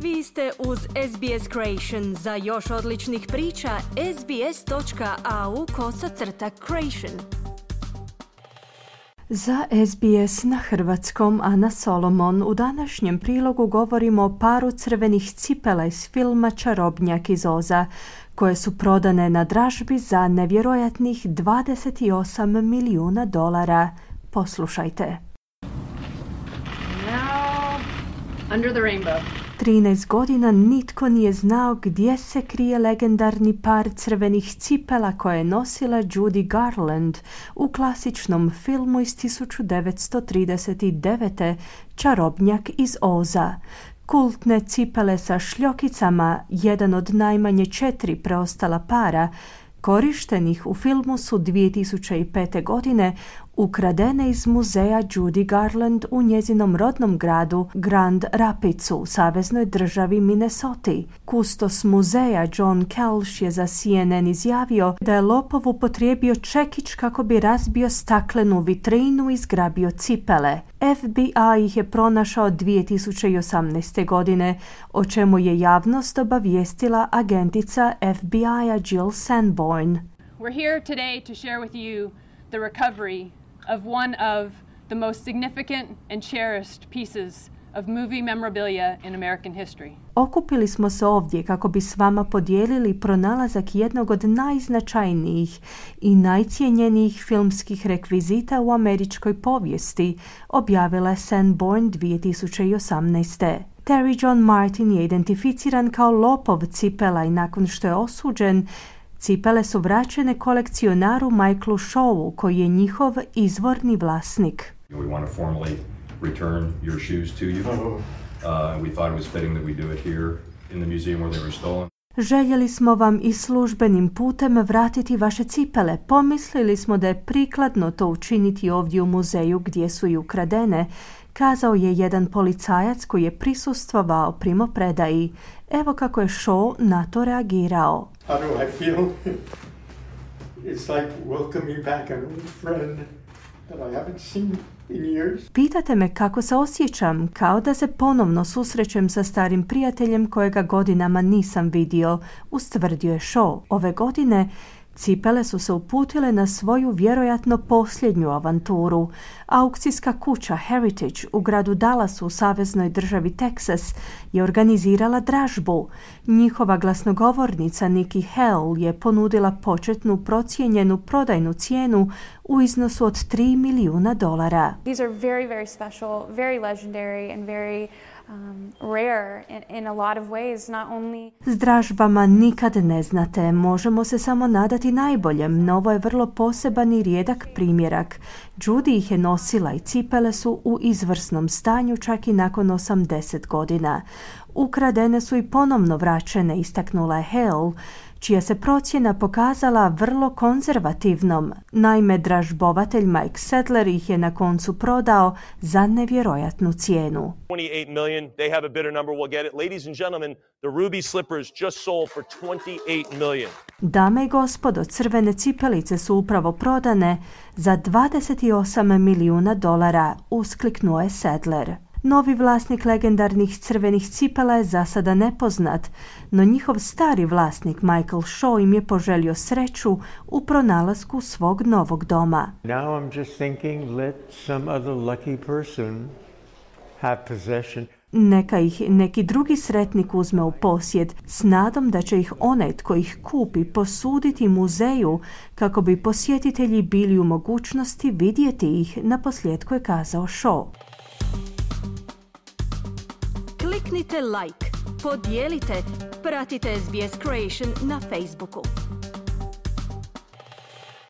Vi ste uz SBS Creation. Za još odličnih priča, sbs.au/creation. Za SBS na hrvatskom Ana Solomon. U današnjem prilogu govorimo o paru crvenih cipela iz filma Čarobnjak iz Oza, koje su prodane na dražbi za nevjerojatnih $28 milijuna. Poslušajte. Now, under the rainbow. 13 godina nitko nije znao gdje se krije legendarni par crvenih cipela koje je nosila Judy Garland u klasičnom filmu iz 1939. Čarobnjak iz Oza. Kultne cipele sa šljokicama, jedan od najmanje 4 preostala para, korištenih u filmu su 2005. godine ukradene iz muzeja Judy Garland u njezinom rodnom gradu Grand Rapidsu u saveznoj državi Minnesota. Kustos muzeja John Kelsh je za CNN izjavio da je lopov upotrijebio čekić kako bi razbio staklenu vitrinu i zgrabio cipele. FBI ih je pronašao 2018. godine, o čemu je javnost obavijestila agentica FBI-a Jill Sanborn. We're here today to share with you the recovery of one of the most significant and cherished pieces of movie memorabilia in American history. Okupili smo se ovdje kako bi s vama podijelili pronalazak jednog od najznačajnijih i najcijenjenijih filmskih rekvizita u američkoj povijesti, objavila je Sanborn 2018. Terry John Martin je identificiran kao lopov cipela i nakon što je osuđen, cipele su vraćene kolekcionaru Michaelu Shawu, koji je njihov izvorni vlasnik. We want to formally return your shoes to you. We thought it was fitting that we do it here in the museum where they were stolen. Željeli smo vam i službenim putem vratiti vaše cipele. Pomislili smo da je prikladno to učiniti ovdje u muzeju gdje su i ukradene, kazao je jedan policajac koji je prisustvovao primopredaji. Evo kako je Shaw na to reagirao. How do I feel? It's like welcoming back an old friend that I haven't seen in years. Pitate me kako se osjećam, kao da se ponovno susrećem sa starim prijateljem kojega godinama nisam vidio, ustvrdio je Shaw. Ove godine cipele su se uputile na svoju vjerojatno posljednju avanturu. Aukcijska kuća Heritage u gradu Dallasu u saveznoj državi Texas je organizirala dražbu. Njihova glasnogovornica Nikki Hale je ponudila početnu procijenjenu prodajnu cijenu u iznosu od $3 milijuna. These are very, very special, very legendary and very rare in a lot of ways, not only. S dražbama nikad ne znate, možemo se samo nadati najboljem, no ovo je vrlo poseban i rijedak primjerak. Judy ih je nosila i cipele su u izvrsnom stanju čak i nakon 80 godina. Ukradene su i ponovno vraćene, istaknula je Hale, čija se procjena pokazala vrlo konzervativnom. Naime, dražbovatelj Mike Sadler ih je na koncu prodao za nevjerojatnu cijenu. $28 million. They have a bidder number. We'll get it. Ladies and gentlemen, the ruby slippers just sold for $28 million. Dame i gospodo, crvene cipelice su upravo prodane za $28 milijuna, uskliknuo je Sadler. Novi vlasnik legendarnih crvenih cipela je za sada nepoznat, no njihov stari vlasnik Michael Shaw im je poželio sreću u pronalasku svog novog doma. Now I'm just thinking, let some other lucky person have possession. Neka ih neki drugi sretnik uzme u posjed s nadom da će ih onaj tko ih kupi posuditi muzeju kako bi posjetitelji bili u mogućnosti vidjeti ih, naposljetku je kazao Shaw. Kliknite like, podijelite, pratite SBS Creation na Facebooku.